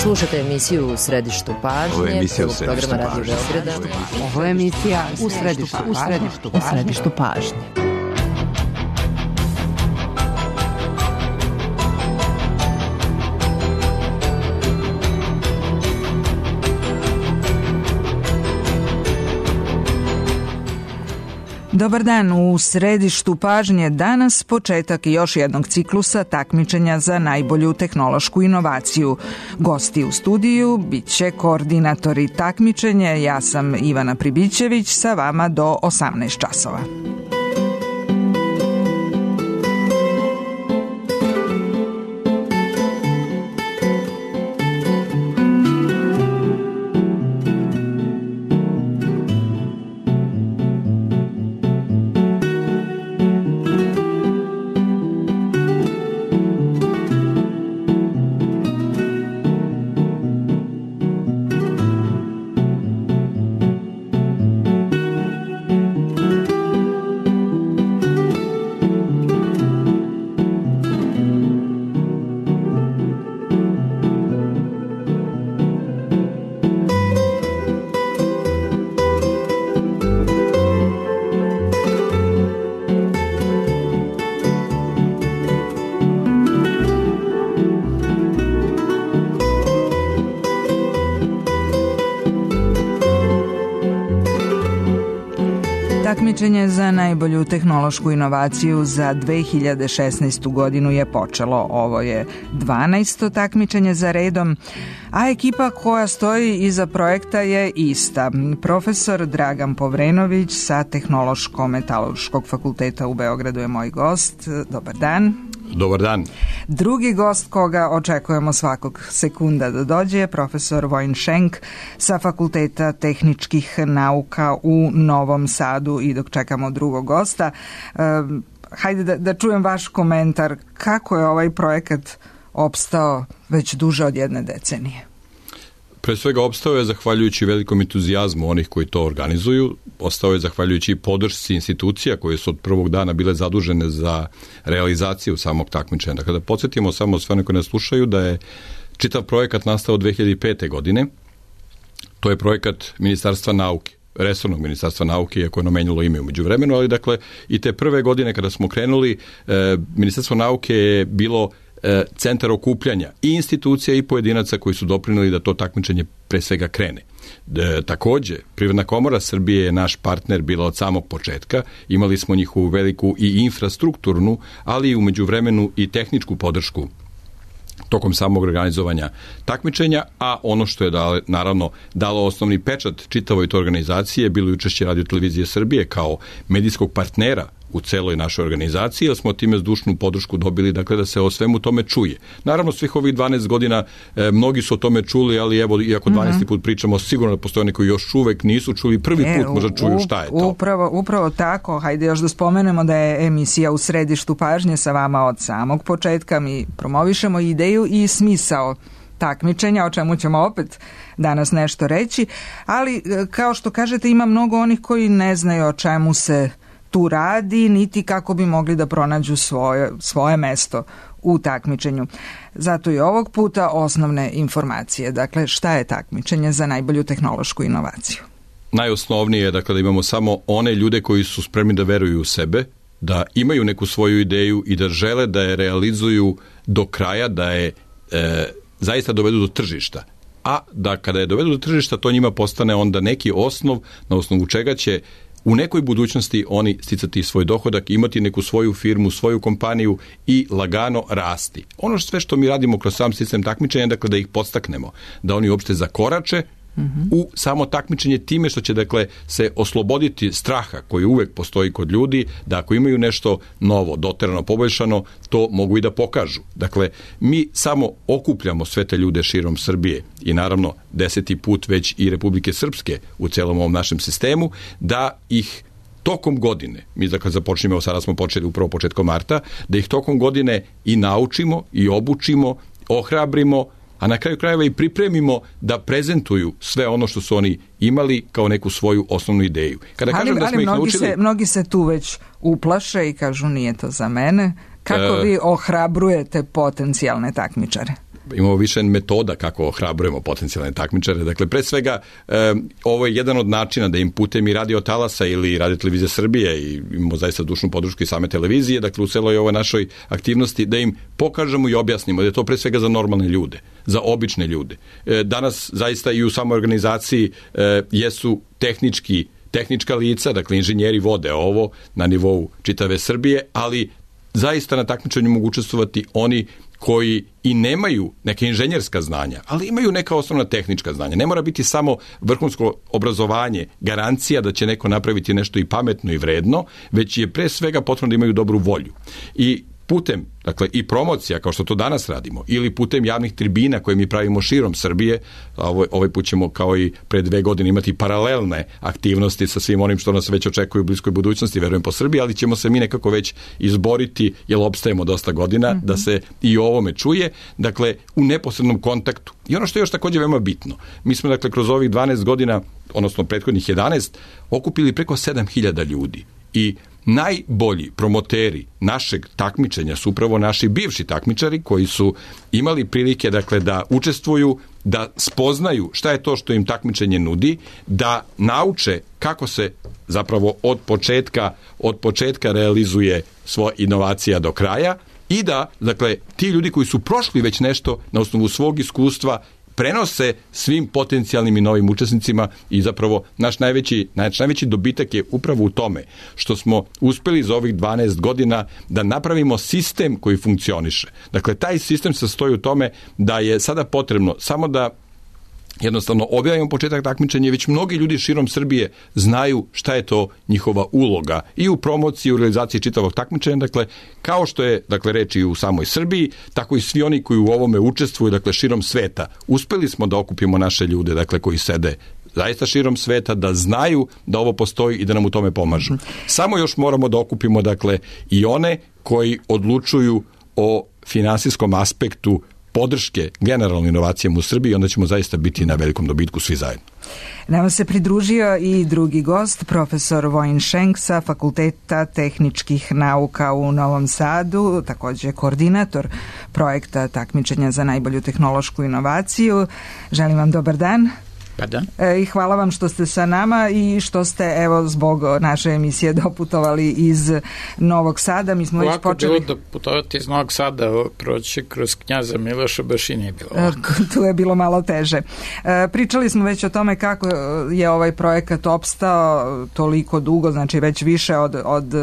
Slušate emisiju U središtu pažnje. Ovo je emisija U središtu programa Radio Beograda. Ovo je emisija U središtu pažnje. Dobar dan, u središtu pažnje danas početak još jednog ciklusa takmičenja za najbolju tehnološku inovaciju. Gosti u studiju bit će koordinatori takmičenja, ja sam Ivana Pribićević, sa vama do 18 časova. Takmičenje za najbolju tehnološku inovaciju za 2016. godinu je počelo. Ovo je 12. takmičenje za redom, a ekipa koja stoji iza projekta je ista. Profesor Dragan Povrenović sa Tehnološko-metalurškog fakulteta u Beogradu je moj gost. Dobar dan. Dobar dan. Drugi gost koga očekujemo svakog sekunda da dođe je profesor Vojin Šenk sa Fakulteta tehničkih nauka u Novom Sadu. I dok čekamo drugog gosta, hajde da čujem vaš komentar. Kako je ovaj projekat opstao već duže od jedne decenije? Pre svega opstao je zahvaljujući velikom entuzijazmu onih koji to organizuju, ostao je zahvaljujući podršci institucija koje su od prvog dana bile zadužene za realizaciju samog takmičenja. Kada podsjetimo samo sve one koji nas slušaju da je čitav projekat nastao 2005. godine, to je projekat Ministarstva nauke, resornog Ministarstva nauke, iako je ono menjalo ime umeđu vremenu, ali dakle i te prve godine kada smo krenuli, Ministarstvo nauke je bilo centar okupljanja i institucija i pojedinaca koji su doprineli da to takmičenje pre svega krene. Takođe, Privredna komora Srbije je naš partner bila od samog početka. Imali smo njihovu veliku i infrastrukturnu, ali i umeđu vremenu i tehničku podršku tokom samog organizovanja takmičenja, a ono što je naravno dalo osnovni pečat čitavoj toj organizacije bilo je učešće Radio televizije Srbije kao medijskog partnera u celoj našoj organizaciji, jer smo time zdušnu podršku dobili, dakle, da se o svemu tome čuje. Naravno, svih ovih 12 godina mnogi su o tome čuli, ali evo, iako 12. put pričamo, sigurno da postoje oni koji još uvek nisu čuli, prvi put možda čuju šta je to. Upravo tako. Hajde još da spomenemo da je emisija U središtu pažnje sa vama od samog početka. Mi promovišemo ideju i smisao takmičenja, o čemu ćemo opet danas nešto reći, ali kao što kažete, ima mnogo onih koji ne znaju o čemu se tu radi, niti kako bi mogli da pronađu svoje mesto u takmičenju. Zato i ovog puta osnovne informacije. Dakle, šta je takmičenje za najbolju tehnološku inovaciju? Najosnovnije je dakle, da imamo samo one ljude koji su spremni da veruju u sebe, da imaju neku svoju ideju i da žele da je realizuju do kraja, da je zaista dovedu do tržišta. A da kada je dovedu do tržišta, to njima postane onda neki osnov na osnovu čega će u nekoj budućnosti oni sticati svoj dohodak, imati neku svoju firmu, svoju kompaniju i lagano rasti. Ono sve što mi radimo kroz sam sistem takmičenja, dakle da ih podstaknemo, da oni uopšte zakorače u samo takmičenje time što će dakle se osloboditi straha koji uvek postoji kod ljudi, da ako imaju nešto novo, doterano, poboljšano, to mogu i da pokažu. Dakle, mi samo okupljamo sve te ljude širom Srbije i naravno 10. put već i Republike Srpske u celom ovom našem sistemu, da ih tokom godine, mi dakle započnemo, sada smo počeli upravo početkom marta, da ih tokom godine i naučimo i obučimo, ohrabrimo, a na kraju krajeva i pripremimo da prezentuju sve ono što su oni imali kao neku svoju osnovnu ideju. Kada kažem da smo ih naučili... mnogi se tu već uplaše i kažu nije to za mene. Kako vi ohrabrujete potencijalne takmičare? imamo više metoda kako ohrabrujemo potencijalne takmičare. Dakle, pre svega, ovo je jedan od načina da im putem i Radio Talasa ili Radio Televizije Srbije, i imamo zaista dušnu podršku i same televizije, dakle, u celoj ovoj našoj aktivnosti, da im pokažemo i objasnimo da je to pre svega za normalne ljude, za obične ljude. Danas zaista i u samoj organizaciji jesu tehnička lica, dakle inženjeri vode ovo na nivou čitave Srbije, ali zaista na takmičenju mogu učestvovati oni koji i nemaju neke inženjerska znanja, ali imaju neka osnovna tehnička znanja. Ne mora biti samo vrhunsko obrazovanje garancija da će neko napraviti nešto i pametno i vredno, već je pre svega potrebno da imaju dobru volju. I putem, dakle, i promocija, kao što to danas radimo, ili putem javnih tribina koje mi pravimo širom Srbije, ovaj put ćemo kao i pre 2 godine imati paralelne aktivnosti sa svim onim što nas već očekuje u bliskoj budućnosti, verujem, po Srbiji, ali ćemo se mi nekako već izboriti, jer opstajemo dosta godina, da se i o ovome čuje, dakle, u neposrednom kontaktu. I ono što je još također veoma bitno, mi smo, dakle, kroz ovih 12 godina, odnosno prethodnih 11, okupili preko 7.000 ljudi i najbolji promoteri našeg takmičenja su upravo naši bivši takmičari koji su imali prilike, dakle, da učestvuju, da spoznaju šta je to što im takmičenje nudi, da nauče kako se zapravo od početka realizuje svoja inovacija do kraja i da, dakle, ti ljudi koji su prošli već nešto na osnovu svog iskustva prenose svim potencijalnim i novim učesnicima i zapravo naš najveći dobitak je upravo u tome što smo uspeli za ovih 12 godina da napravimo sistem koji funkcioniše. Dakle, taj sistem se sastoji u tome da je sada potrebno samo da jednostavno objavimo početak takmičenja, već mnogi ljudi širom Srbije znaju šta je to njihova uloga i u promociji, u realizaciji čitavog takmičenja, dakle, kao što je, dakle, reč i u samoj Srbiji, tako i svi oni koji u ovome učestvuju, dakle, širom sveta. Uspeli smo da okupimo naše ljude, dakle, koji sede zaista širom sveta, da znaju da ovo postoji i da nam u tome pomažu. Samo još moramo da okupimo, dakle, i one koji odlučuju o finansijskom aspektu podrške generalnim inovacijama u Srbiji, onda ćemo zaista biti na velikom dobitku svi zajedno. Nama se pridružio i drugi gost, profesor Vojin Šenk sa Fakulteta tehničkih nauka u Novom Sadu, također koordinator projekta takmičenja za najbolju tehnološku inovaciju. Želim vam dobar dan. Pa da. I hvala vam što ste sa nama i što ste, evo, zbog naše emisije doputovali iz Novog Sada. Mi smo već počeli... Bilo doputovati iz Novog Sada, proći kroz Knjaza Miloša baš i nije bilo lako. Tu je bilo malo teže. Pričali smo već o tome kako je ovaj projekat opstao toliko dugo, znači već više od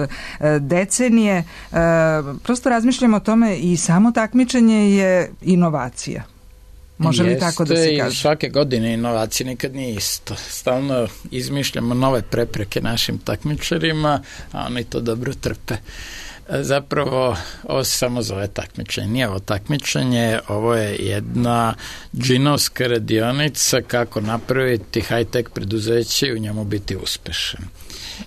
decenije. Prosto razmišljamo o tome i samo takmičenje je inovacija. Može li tako da se kaže? I svake godine inovacije nikad nije isto. Stalno izmišljamo nove prepreke našim takmičarima, a oni to dobro trpe. Zapravo, ovo se samo zove takmičenje. Nije ovo takmičenje, ovo je jedna džinovska radionica kako napraviti high-tech preduzeće i u njemu biti uspešan.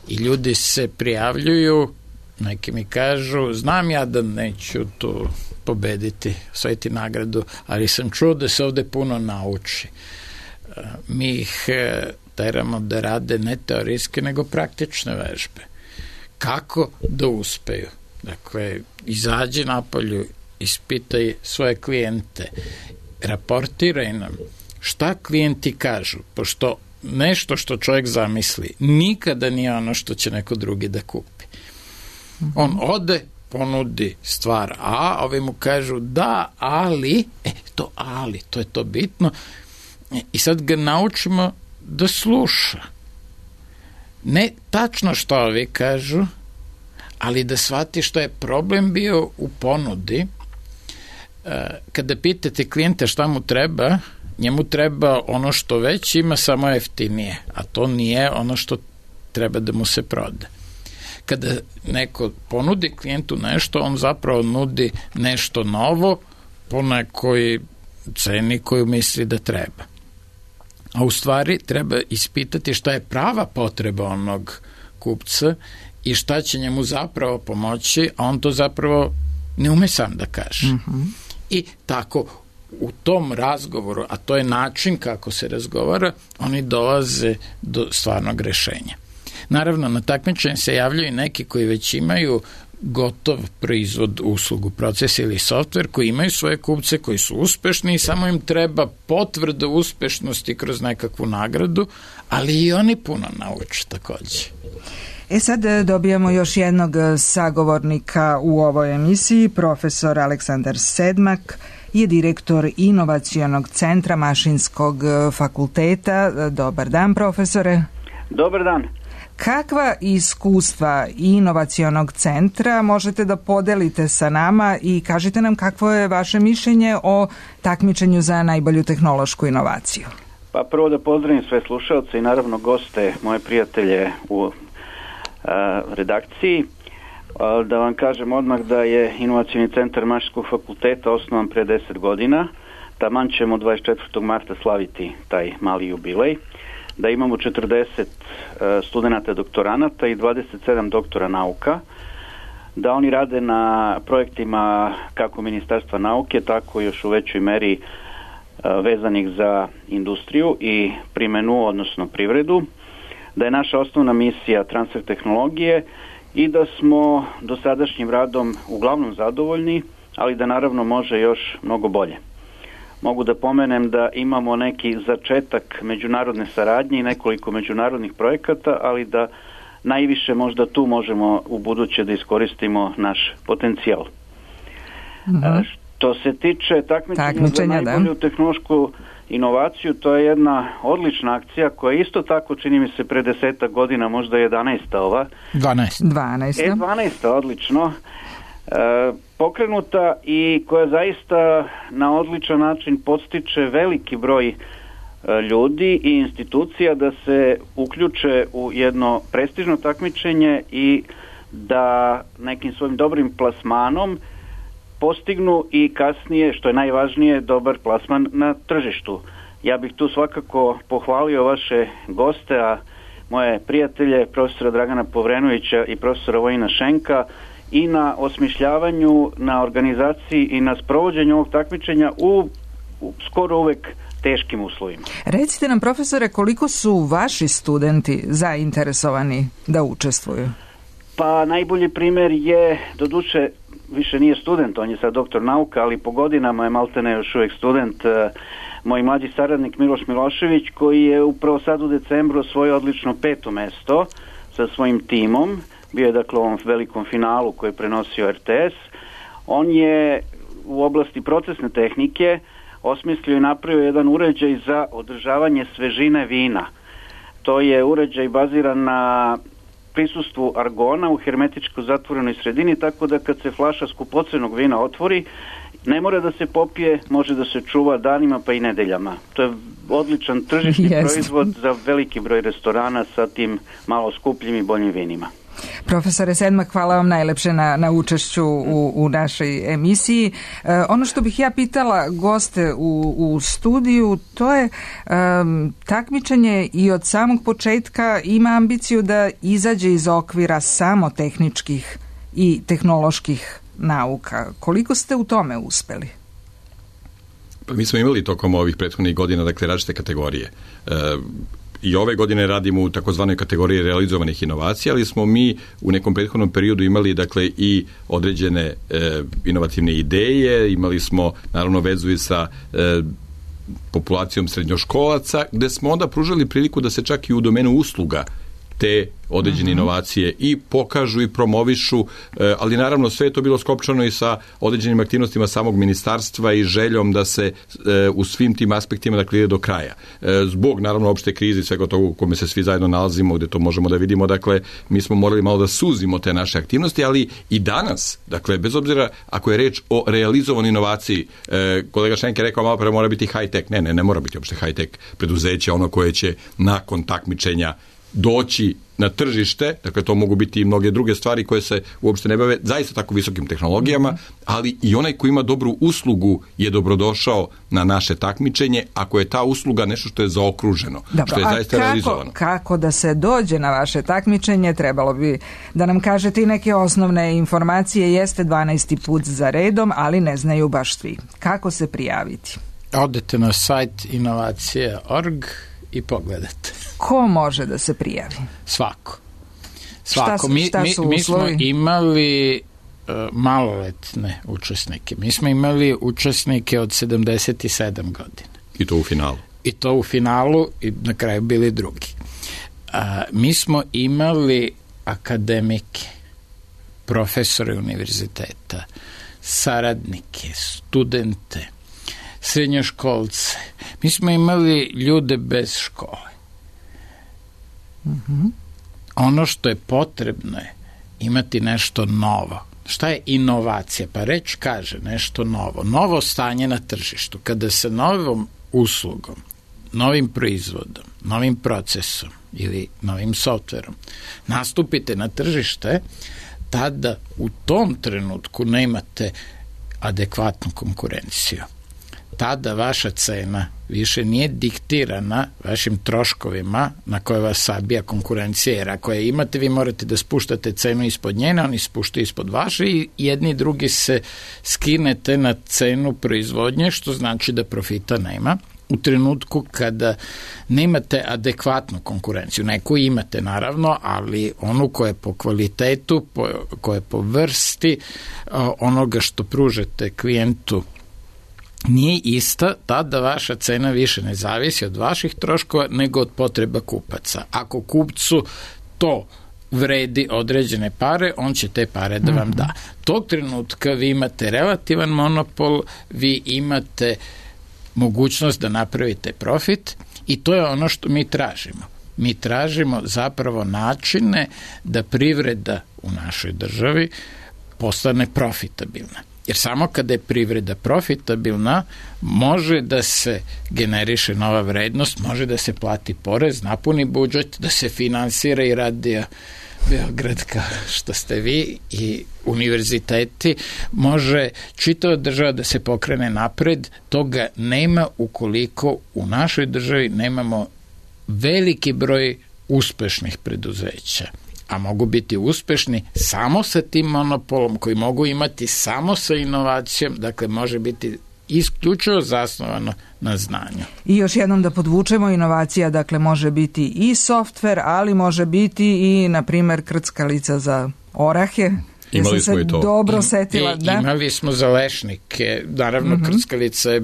I ljudi se prijavljuju, neki mi kažu, znam ja da neću tu pobediti, osvojiti nagradu, ali sam čuo da se ovde puno nauči. Mi ih teramo da rade ne teorijske, nego praktične vežbe. Kako da uspeju? Dakle, izađi napolju, ispitaj svoje klijente, raportiraj nam šta klijenti kažu, pošto nešto što čovjek zamisli nikada nije ono što će neko drugi da kupi. On ode, ponudi stvar A, ovi mu kažu da, ali, to je to bitno, i sad ga naučimo da sluša. Ne tačno što ovi kažu, ali da shvati što je problem bio u ponudi. Kada pitate klijenta šta mu treba, njemu treba ono što već ima, samo jeftinije, a to nije ono što treba da mu se proda. Kada neko ponudi klijentu nešto, on zapravo nudi nešto novo po nekoj ceni koju misli da treba. A u stvari treba ispitati šta je prava potreba onog kupca i šta će njemu zapravo pomoći, a on to zapravo ne ume sam da kaže. I tako u tom razgovoru, a to je način kako se razgovara, oni dolaze do stvarnog rešenja. Naravno, na takmičenju se javljaju neki koji već imaju gotov proizvod, uslugu, proces ili softver koji imaju svoje kupce, koji su uspešni i samo im treba potvrda uspešnosti kroz nekakvu nagradu, ali i oni puno nauče takođe. Sad dobijamo još jednog sagovornika u ovoj emisiji. Profesor Aleksandar Sedmak je direktor Inovacionog centra Mašinskog fakulteta. Dobar dan, profesore. Dobar dan. Kakva iskustva Inovacionog centra možete da podelite sa nama i kažite nam kakvo je vaše mišljenje o takmičenju za najbolju tehnološku inovaciju? Pa prvo da pozdravim sve slušalce i naravno goste, moje prijatelje u redakciji. Da vam kažem odmah da je Inovacioni centar Mašinskog fakulteta osnovan pre 10 godina. Taman ćemo 24. marta slaviti taj mali jubilej. Da imamo 40 studenata doktoranata i 27 doktora nauka, da oni rade na projektima kako Ministarstva nauke, tako još u većoj meri vezanih za industriju i primenu, odnosno privredu, da je naša osnovna misija transfer tehnologije i da smo dosadašnjim radom uglavnom zadovoljni, ali da naravno može još mnogo bolje. Mogu da pomenem da imamo neki začetak međunarodne saradnje i nekoliko međunarodnih projekata, ali da najviše možda tu možemo u buduće da iskoristimo naš potencijal. Što se tiče takmičenja za najbolju tehnološku inovaciju, to je jedna odlična akcija koja isto tako, čini mi se, pre 10 godina, možda 11. ova. 12. Odlično. Pokrenuta i koja zaista na odličan način podstiče veliki broj ljudi i institucija da se uključe u jedno prestižno takmičenje i da nekim svojim dobrim plasmanom postignu i kasnije, što je najvažnije, dobar plasman na tržištu. Ja bih tu svakako pohvalio vaše goste, a moje prijatelje, profesora Dragana Povrenovića i profesora Vojina Šenka, i na osmišljavanju, na organizaciji i na sprovođenju ovog takmičenja u skoro uvek teškim uslovima. Recite nam, profesore, koliko su vaši studenti zainteresovani da učestvuju? Pa najbolji primer je, doduše više nije student, on je sad doktor nauka, ali po godinama je maltene još uvek student, moj mlađi saradnik Miloš Milošević, koji je upravo sad u decembru osvojio odlično 5. mesto sa svojim timom. Bio je dakle u ovom velikom finalu koji je prenosio RTS. On je u oblasti procesne tehnike osmislio i napravio jedan uređaj za održavanje svežine vina. To je uređaj baziran na prisustvu argona u hermetičko zatvorenoj sredini, tako da kad se flaša skupocenog vina otvori, ne mora da se popije, može da se čuva danima pa i nedeljama. To je odličan tržišni proizvod za veliki broj restorana sa tim malo skupljim i boljim vinima. Profesore Sedmak, hvala vam najlepše na učešću u našoj emisiji. Ono što bih ja pitala goste u studiju, to je takmičenje i od samog početka ima ambiciju da izađe iz okvira samo tehničkih i tehnoloških nauka. Koliko ste u tome uspeli? Pa mi smo imali tokom ovih prethodnih godina, dakle, različite kategorije. I ove godine radimo u takozvanoj kategoriji realizovanih inovacija, ali smo mi u nekom prethodnom periodu imali, dakle, i određene inovativne ideje, imali smo naravno vezu i sa populacijom srednjoškolaca, gde smo onda pružali priliku da se čak i u domenu usluga te određene inovacije i pokažu i promovišu, ali naravno sve je to bilo skopčano i sa određenim aktivnostima samog ministarstva i željom da se u svim tim aspektima dakle ide do kraja. Zbog naravno opšte krize i svega toga u kome se svi zajedno nalazimo, gde to možemo da vidimo, dakle mi smo morali malo da suzimo te naše aktivnosti, ali i danas, dakle bez obzira ako je reč o realizovanoj inovaciji, kolega Šenke rekao malo pre mora biti high-tech, ne mora biti uopšte high-tech preduzeće, ono koje će nakon takmičenja doći na tržište, dakle to mogu biti i mnoge druge stvari koje se uopšte ne bave zaista tako visokim tehnologijama, ali i onaj koji ima dobru uslugu je dobrodošao na naše takmičenje ako je ta usluga nešto što je zaokruženo, dobro, što je zaista realizovano. Kako da se dođe na vaše takmičenje, trebalo bi da nam kažete i neke osnovne informacije. Jeste 12. put za redom, ali ne znaju baš svi. Kako se prijaviti? Odete na sajt inovacije.org i pogledate. Ko može da se prijavi? Svako. Šta su mi smo imali maloletne učesnike. Mi smo imali učesnike od 77 godina. I to u finalu. I to u finalu i na kraju bili drugi. Mi smo imali akademike, profesore univerziteta, saradnike, studente, srednjoškolce. Mi smo imali ljude bez škole. Ono što je potrebno je imati nešto novo. Šta je inovacija? Pa reč kaže nešto novo. Novo stanje na tržištu. Kada se novom uslugom, novim proizvodom, novim procesom ili novim softverom nastupite na tržište, tada u tom trenutku nemate adekvatnu konkurenciju. Tada vaša cena više nije diktirana vašim troškovima na koje vas sabija konkurencija, jer ako je imate, vi morate da spuštate cenu ispod njene, oni spuštaju ispod vaše i jedni i drugi se skinete na cenu proizvodnje, što znači da profita nema. U trenutku kada nemate adekvatnu konkurenciju, neku imate naravno, ali onu koja je po kvalitetu, koja je po vrsti onoga što pružate klijentu nije ista, tada vaša cena više ne zavisi od vaših troškova nego od potreba kupaca. Ako kupcu to vredi određene pare, on će te pare da vam da. Tog trenutka vi imate relativan monopol, vi imate mogućnost da napravite profit i to je ono što mi tražimo. Mi tražimo zapravo načine da privreda u našoj državi postane profitabilna. Jer samo kada je privreda profitabilna, može da se generiše nova vrednost, može da se plati porez, napuni budžet, da se finansira i Radio Beograd kao što ste vi i univerziteti, može čitava država da se pokrene napred. Toga nema ukoliko u našoj državi nemamo veliki broj uspešnih preduzeća. A mogu biti uspešni samo sa tim monopolom, koji mogu imati samo sa inovacijom, dakle može biti isključivo zasnovano na znanju. I još jednom da podvučemo, inovacija dakle može biti i softver, ali može biti i na primer krckalica za orahe. Imali smo i to. Dobro setila, da? Imali smo za lešnike. Naravno, krckalica je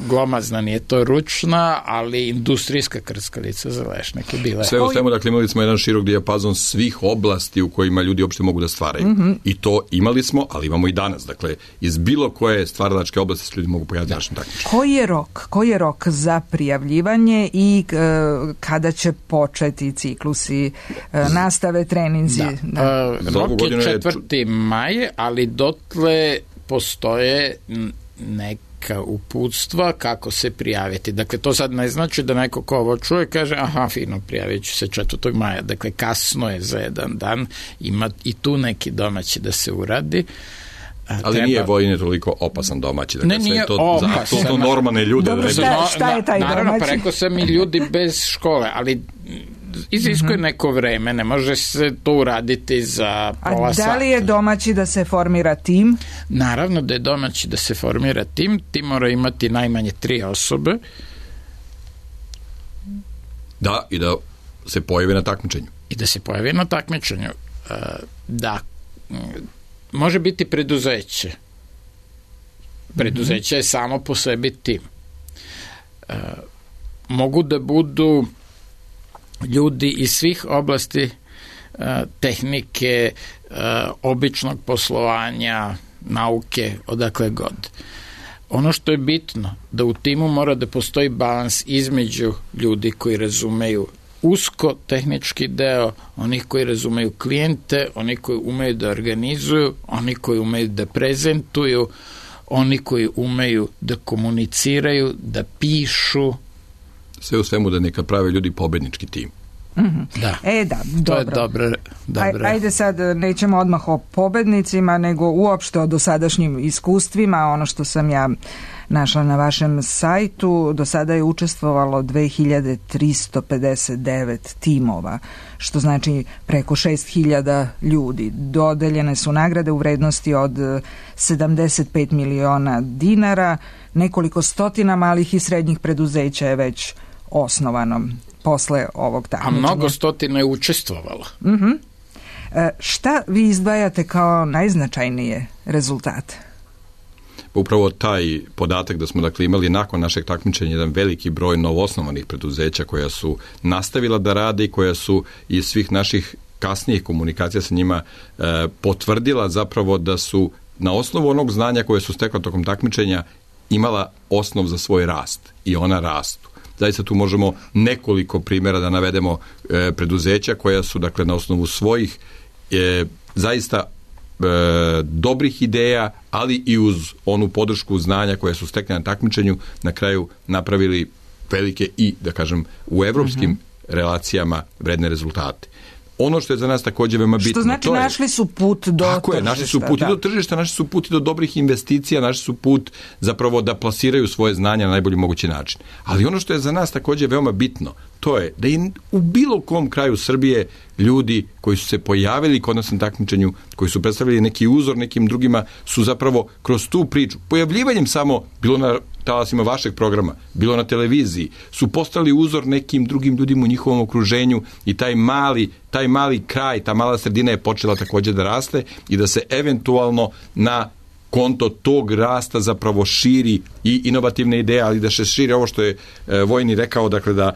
glomazna, nije to ručna, ali industrijska krckalica za lešnike bila. Sve u svemu, dakle, imali smo jedan širok dijapazon svih oblasti u kojima ljudi uopšte mogu da stvaraju. I to imali smo, ali imamo i danas. Dakle, iz bilo koje stvaralačke oblasti se ljudi mogu pojaviti na našem takmičenju. Koji je rok za prijavljivanje i kada će početi ciklusi nastave, treninzi? Rok je 4. maj, ali dotle postoje neka uputstva kako se prijaviti. Dakle, to sad ne znači da neko ko ovo čuje kaže, aha, fino, prijavit ću se 4. maja. Dakle, kasno je za jedan dan, ima i tu neki domaći da se uradi. Ali nije vojni toliko opasan domaći. Dakle, ne, nije opasan. To normalne ljude. Dobro, šta je taj domaći? Naravno, preko sam i ljudi bez škole, ali iziskuje neko vreme, ne može se to uraditi za pola sata. A da li je domaći da se formira tim? Naravno da je domaći da se formira tim. Tim mora imati najmanje 3 osobe. Da, i da se pojavi na takmičenju. Da, može biti preduzeće. Preduzeće je samo po sebi tim. Mogu da budu ljudi iz svih oblasti tehnike, običnog poslovanja, nauke, odakle god. Ono što je bitno, da u timu mora da postoji balans između ljudi koji razumeju usko tehnički deo, onih koji razumeju klijente, oni koji umeju da organizuju, oni koji umeju da prezentuju, oni koji umeju da komuniciraju, da pišu. Sve u svemu da neka prave ljudi pobednički tim. Da. To je dobro. Ajde sad, nećemo odmah o pobednicima, nego uopšte o dosadašnjim iskustvima. Ono što sam ja našla na vašem sajtu, do sada je učestvovalo 2359 timova, što znači preko 6000 ljudi. Dodeljene su nagrade u vrednosti od 75 miliona dinara, nekoliko stotina malih i srednjih preduzeća je već osnovano posle ovog takmičenja. A mnogo stotina je učestvovalo. Šta vi izdvajate kao najznačajnije rezultate? Upravo taj podatak da smo dakle imali nakon našeg takmičenja jedan veliki broj novoosnovanih preduzeća koja su nastavila da rade i koja su iz svih naših kasnijih komunikacija sa njima potvrdila zapravo da su na osnovu onog znanja koje su stekla tokom takmičenja imala osnov za svoj rast i ona rastu. Zaista tu možemo nekoliko primjera da navedemo preduzeća koja su dakle na osnovu svojih zaista dobrih ideja, ali i uz onu podršku znanja koje su stekli na takmičenju na kraju napravili velike i, da kažem, u evropskim relacijama vredne rezultate. Ono što je za nas također veoma bitno. Što znači našli su put do tako tržišta. Našli su put i do tržišta, našli su put i do dobrih investicija, našli su put zapravo da plasiraju svoje znanja na najbolji mogući način. Ali ono što je za nas također veoma bitno, to je da i u bilo kom kraju Srbije ljudi koji su se pojavili kod nas na takmičenju, koji su predstavili neki uzor nekim drugima, su zapravo kroz tu priču, pojavljivanjem samo, bilo na talasima vašeg programa, bilo na televiziji, su postali uzor nekim drugim ljudima u njihovom okruženju i taj mali kraj, ta mala sredina je počela također da raste i da se eventualno na konto tog rasta zapravo širi i inovativne ideje, ali da se širi ovo što je Vojni rekao, dakle da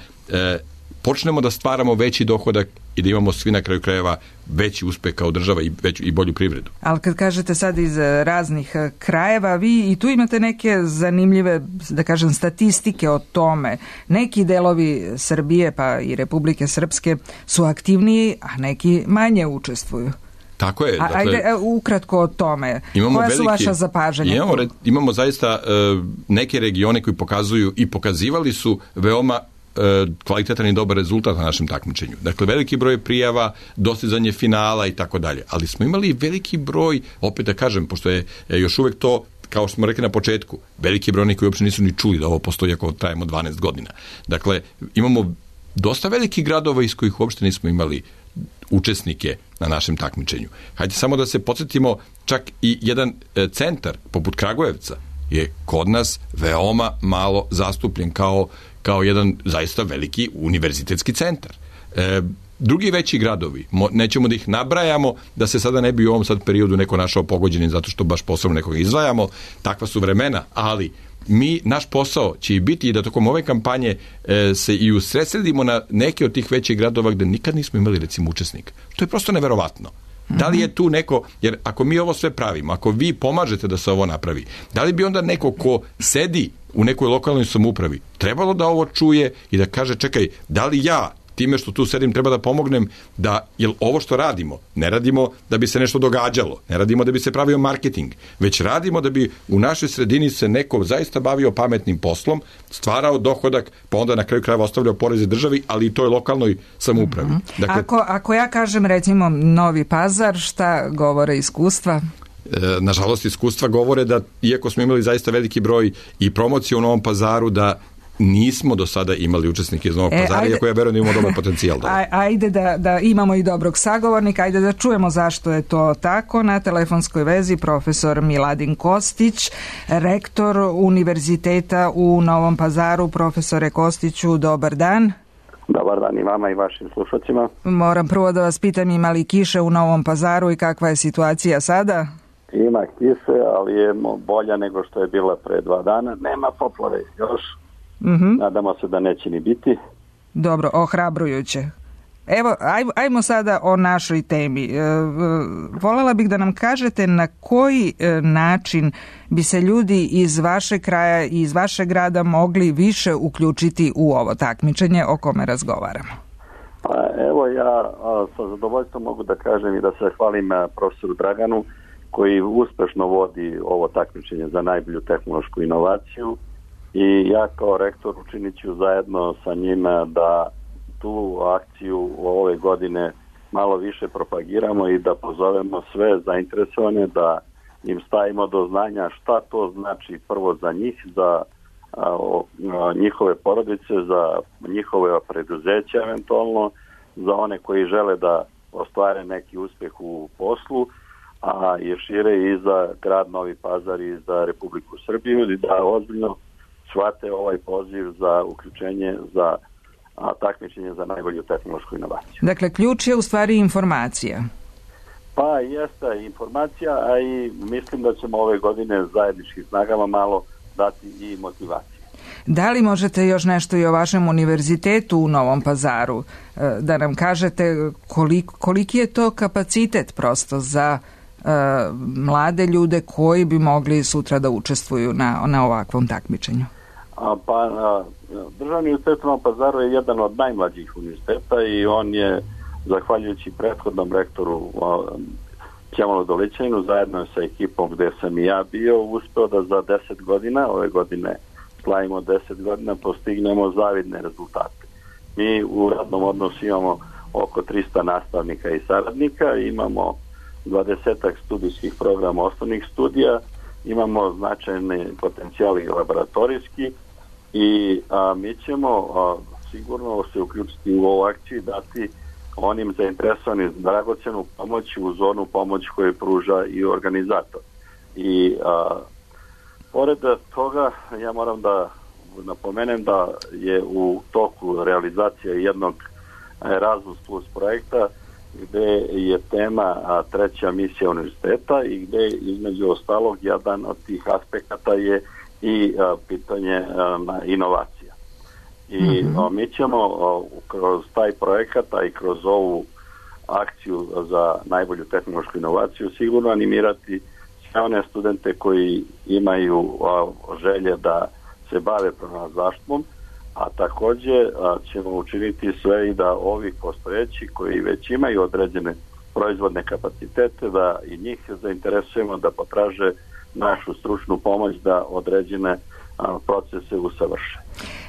počnemo da stvaramo veći dohodak i da imamo svi na kraju krajeva veći uspeh kao država i bolju privredu. Ali kad kažete sad iz raznih krajeva, vi i tu imate neke zanimljive, da kažem, statistike o tome. Neki delovi Srbije pa i Republike Srpske su aktivniji, a neki manje učestvuju. Tako je. Dakle, ajde ukratko o tome. Koja su vaša zapažanja? Imamo zaista neke regione koji pokazuju i pokazivali su veoma kvalitetan i dobar rezultat na našem takmičenju. Dakle, veliki broj prijava, dostizanje finala i tako dalje. Ali smo imali veliki broj, opet da kažem, pošto je još uvek to, kao što smo rekli na početku, veliki broj koji uopšte nisu ni čuli da ovo postoji ako trajemo 12 godina. Dakle, imamo dosta velikih gradova iz kojih uopšte nismo imali učesnike na našem takmičenju. Hajde samo da se podsjetimo, čak i jedan centar poput Kragujevca je kod nas veoma malo zastupljen kao jedan zaista veliki univerzitetski centar. Drugi veći gradovi, nećemo da ih nabrajamo, da se sada ne bi u ovom sad periodu neko našao pogođenim zato što baš posebno nekoga izdvajamo, takva su vremena, ali naš posao će i biti i da tokom ove kampanje se i usredsredimo na neke od tih većih gradova gde nikad nismo imali recimo učesnika. To je prosto neverovatno. Da li je tu neko, jer ako mi ovo sve pravimo, ako vi pomažete da se ovo napravi, da li bi onda neko ko sedi u nekoj lokalnoj samoupravi trebalo da ovo čuje i da kaže čekaj, da li ja time što tu sedim treba da pomognem da, jer ovo što radimo, ne radimo da bi se nešto događalo, ne radimo da bi se pravio marketing, već radimo da bi u našoj sredini se neko zaista bavio pametnim poslom, stvarao dohodak, pa onda na kraju krajeva ostavljao poreze državi, ali i toj lokalnoj samoupravi. Dakle, ako ja kažem recimo Novi Pazar, šta govore iskustva? Nažalost, iskustva govore da, iako smo imali zaista veliki broj i promocije u Novom Pazaru, da nismo do sada imali učesnike iz Novog Pazara, iako ja verujem da imamo dobar potencijal. Ajde da imamo i dobrog sagovornika, ajde da čujemo zašto je to tako. Na telefonskoj vezi profesor Miladin Kostić, rektor Univerziteta u Novom Pazaru. Profesore Kostiću, dobar dan. Dobar dan i vama i vašim slušacima. Moram prvo da vas pitam, ima li kiše u Novom Pazaru i kakva je situacija sada? Ima kiše, ali je bolja nego što je bila pre 2 dana. Nema poplave još. Nadamo se da neće ni biti. Dobro, ohrabrujuće. Evo, ajmo sada o našoj temi. Voljela bih da nam kažete na koji način bi se ljudi iz vašeg kraja i iz vašeg grada mogli više uključiti u ovo takmičenje o kome razgovaramo. Evo, ja sa zadovoljstvom mogu da kažem i da se hvalim profesoru Draganu koji uspešno vodi ovo takmičenje za najbolju tehnološku inovaciju. I ja kao rektor učinit ću zajedno sa njima da tu akciju ove godine malo više propagiramo i da pozovemo sve zainteresovane, da im stavimo do znanja šta to znači prvo za njih, za njihove porodice, za njihove preduzeća eventualno, za one koji žele da ostvare neki uspeh u poslu, a i šire i za grad Novi Pazar i za Republiku Srbiju i da ozbiljno shvate ovaj poziv za uključenje za takmičenje za najbolju tehnološku inovaciju. Dakle, ključ je u stvari informacija. Pa jeste informacija, a i mislim da ćemo ove godine zajedničkim snagama malo dati i motivacije. Da li možete još nešto i o vašem univerzitetu u Novom Pazaru? Da nam kažete koliki je to kapacitet prosto za mlade ljude koji bi mogli sutra da učestvuju na ovakvom takmičenju? Državni univerzitet u Novom Pazaru je jedan od najmlađih univerziteta i on je, zahvaljujući prethodnom rektoru Ćemolu Dolićaninu, zajedno sa ekipom gde sam i ja bio, uspeo da za 10 godina, ove godine slavimo 10 godina, postignemo zavidne rezultate. Mi u radnom odnosu imamo oko 300 nastavnika i saradnika, imamo 20 studijskih programa osnovnih studija, imamo značajne potencijali laboratorijski i mi ćemo sigurno se uključiti u ovu akciju i dati onim zainteresovanim dragocenu pomoć uz onu pomoć koju pruža i organizator. I pored toga ja moram da napomenem da je u toku realizacija jednog Erasmus Plus projekta gde je tema treća misija univerziteta i gde između ostalog jedan od tih aspekata je i pitanje inovacija. I mi ćemo kroz taj projekat, a i kroz ovu akciju za najbolju tehnološku inovaciju sigurno animirati sve one studente koji imaju želje da se bave pronalazaštvom, a također ćemo učiniti sve i da ovi postojeći koji već imaju određene proizvodne kapacitete, da i njih zainteresujemo da potraže našu stručnu pomoć da određene procese usavrše.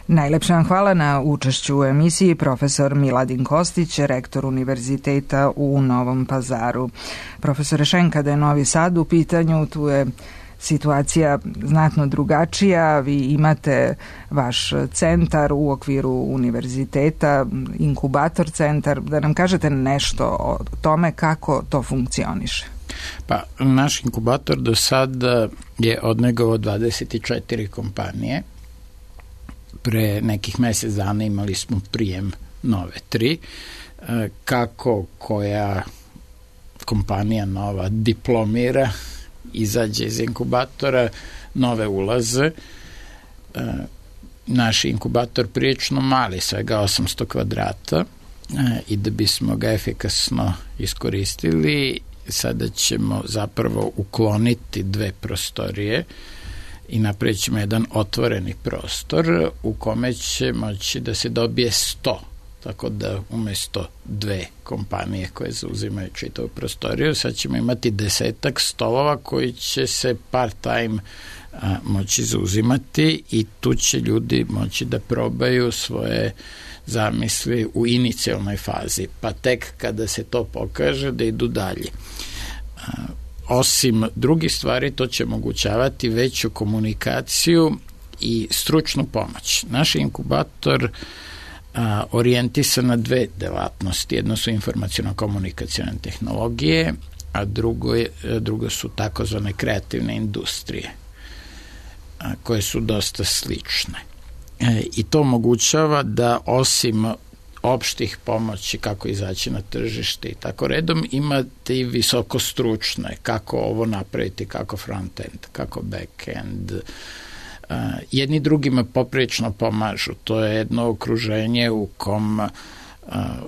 Najlepše vam hvala na učešću u emisiji profesor Miladin Kostić, rektor Univerziteta u Novom Pazaru. Profesore Šen, kada je Novi Sad u pitanju, tu je situacija znatno drugačija. Vi imate vaš centar u okviru univerziteta, inkubator centar. Da nam kažete nešto o tome kako to funkcioniše. Pa, naš inkubator do sada je odnegovao 24 kompanije. Pre nekih mjesec dana imali smo prijem nove 3. Kako koja kompanija nova diplomira, izađe iz inkubatora, nove ulaze. Naš inkubator prilično mali, svega 800 kvadrata, i da bismo ga efikasno iskoristili, sada ćemo zapravo ukloniti 2 prostorije i napravit ćemo jedan otvoreni prostor u kome će moći da se dobije 100, tako da umjesto 2 kompanije koje zauzimaju čitavu prostoriju, sad ćemo imati 10 stolova koji će se part-time moći zauzimati i tu će ljudi moći da probaju svoje zamisli u inicijalnoj fazi, pa tek kada se to pokaže da idu dalje. Osim drugih stvari, to će omogućavati veću komunikaciju i stručnu pomoć. Naš inkubator orijentisan na 2 delatnosti. Jedno su informaciono-komunikacione tehnologije, a drugo su takozvane kreativne industrije, koje su dosta slične. I to omogućava da osim opštih pomoći kako izaći na tržište i tako redom, imate i visoko stručne, kako ovo napraviti, kako front-end, kako back-end. Jedni drugima poprilično pomažu. To je jedno okruženje u kom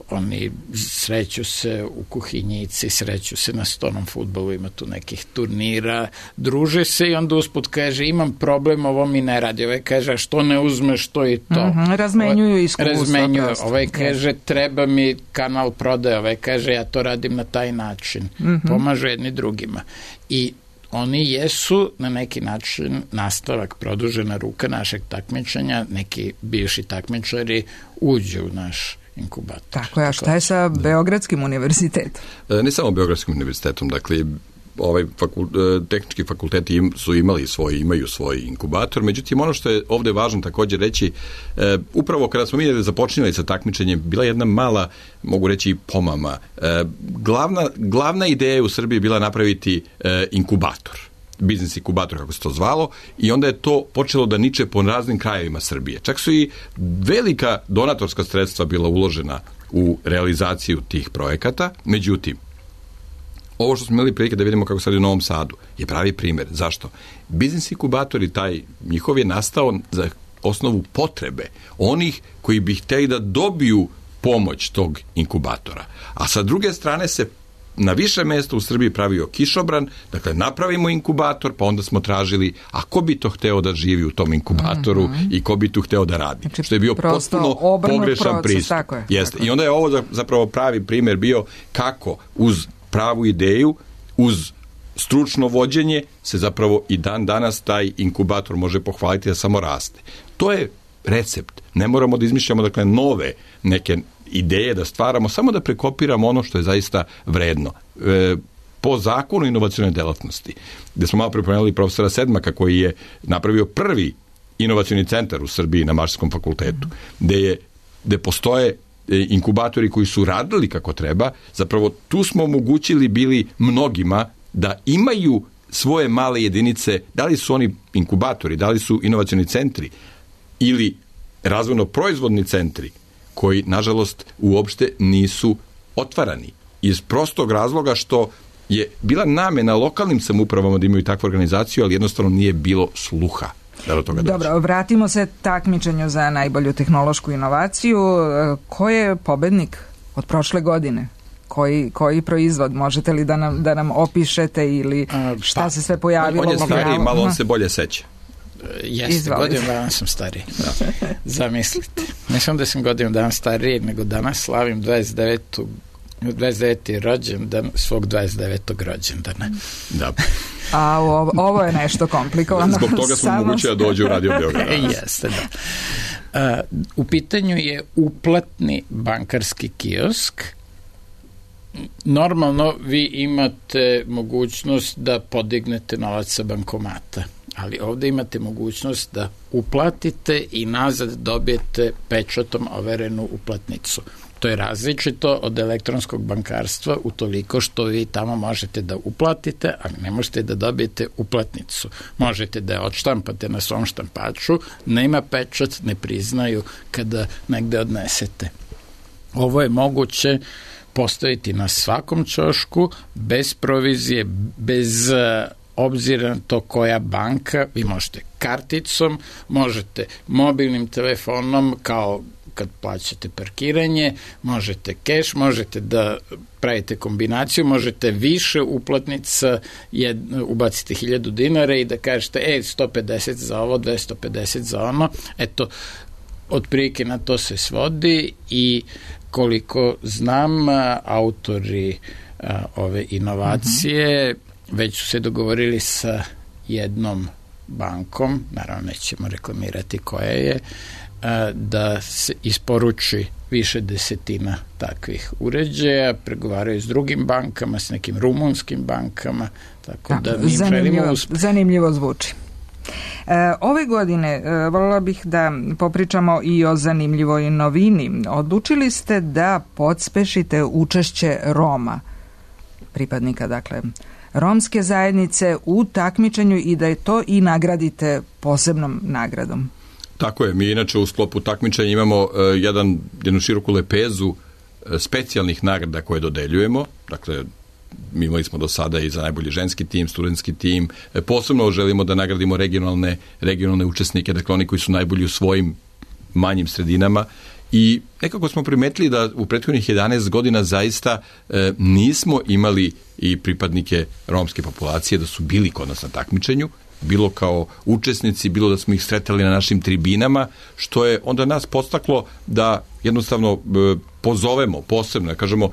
oni sreću se u kuhinjici, sreću se na stolnom fudbalu, ima tu nekih turnira, druže se i onda usput kaže imam problem, ovo mi ne radi. Ovaj kaže što ne uzmeš to i to. Razmenjuju iskustva. Ovaj kaže treba mi kanal prodaje, ovaj kaže ja to radim na taj način. Pomažu jedni drugima. I oni jesu na neki način nastavak, produžena ruka našeg takmičenja, neki bivši takmičari uđu u naš inkubator. Tako je, a šta je sa Beogradskim univerzitetom? Ne samo Beogradskim univerzitetom, dakle tehnički fakulteti imaju svoj inkubator, međutim ono što je ovdje važno također reći, upravo kada smo mi započinjali sa takmičenjem, bila jedna mala, mogu reći, pomama. Glavna ideja je u Srbiji bila napraviti inkubator, biznis inkubator kako se to zvalo, i onda je to počelo da niče po raznim krajevima Srbije. Čak su i velika donatorska sredstva bila uložena u realizaciju tih projekata, međutim Ovo što smo imali prilike da vidimo kako sad u Novom Sadu je pravi primjer. Zašto? Biznis inkubator i taj njihov je nastao za osnovu potrebe onih koji bi htjeli da dobiju pomoć tog inkubatora. A sa druge strane se na više mjesta u Srbiji pravio kišobran, dakle napravimo inkubator, pa onda smo tražili, a ko bi to hteo da živi u tom inkubatoru i ko bi tu hteo da radi. Znači, što je bio potpuno pogrešan pristup. Jeste. I onda je ovo zapravo pravi primjer bio kako uz pravu ideju, uz stručno vođenje se zapravo i dan danas taj inkubator može pohvaliti da samo raste. To je recept. Ne moramo da izmišljamo dakle nove neke ideje da stvaramo, samo da prekopiramo ono što je zaista vredno. Po zakonu inovacione delatnosti, gde smo malo pripomenuli profesora Sedmaka koji je napravio prvi inovacioni centar u Srbiji na Maštarskom fakultetu, gde postoje inkubatori koji su radili kako treba, zapravo tu smo omogućili bili mnogima da imaju svoje male jedinice, da li su oni inkubatori, da li su inovacioni centri ili razvojno-proizvodni centri koji, nažalost, uopšte nisu otvarani. Iz prostog razloga što je bila namena lokalnim samoupravama da imaju takvu organizaciju, ali jednostavno nije bilo sluha da do toga dođe. Dobro, vratimo se takmičenju za najbolju tehnološku inovaciju. Ko je pobednik od prošle godine? Koji proizvod? Možete li da nam opišete ili šta se sve pojavilo? On je stariji, malo on se bolje seća. Jeste, godinu dana sam stariji. Zamislite. Mislim da sam godinu dana stariji, nego danas slavim 29. rođendan svog 29. rođendana. Da. A ovo je nešto komplikovano. Zbog toga smo moguće da dođe u Radio Beograd. Jeste, da. U pitanju je uplatni bankarski kiosk. Normalno vi imate mogućnost da podignete novac sa bankomata, ali ovdje imate mogućnost da uplatite i nazad dobijete pečatom overenu uplatnicu. To je različito od elektronskog bankarstva utoliko što vi tamo možete da uplatite, ali ne možete da dobijete uplatnicu. Možete da je odštampate na svom štampaču, nema pečat, ne priznaju kada negde odnesete. Ovo je moguće postaviti na svakom ćošku, bez provizije, bez obzira na to koja banka. Vi možete karticom, možete mobilnim telefonom, kao kad plaćate parkiranje, možete keš, možete da pravite kombinaciju, možete više uplatnica, ubacite 1000 dinara i da kažete 150 za ovo, 250 za ono. Eto, otprilike na to se svodi i koliko znam, autori ove inovacije već su se dogovorili sa jednom bankom, naravno nećemo reklamirati koja je, da se isporuči više desetina takvih uređaja, pregovaraju s drugim bankama, s nekim rumunskim bankama, tako da mi želimo zanimljivo zvuči. Ove godine voljela bih da popričamo i o zanimljivoj novini. Odlučili ste da podspešite učešće Roma, pripadnika dakle romske zajednice u takmičenju i da je to i nagradite posebnom nagradom. Tako je, mi inače u sklopu takmičenja imamo jednu široku lepezu specijalnih nagrada koje dodeljujemo, dakle mi imali smo do sada i za najbolji ženski tim, studentski tim, posebno želimo da nagradimo regionalne učesnike, dakle oni koji su najbolji u svojim manjim sredinama i nekako smo primetili da u prethodnih 11 godina zaista nismo imali i pripadnike romske populacije da su bili kod nas na takmičenju, bilo kao učesnici, bilo da smo ih sretali na našim tribinama, što je onda nas podstaklo da jednostavno pozovemo posebno, kažemo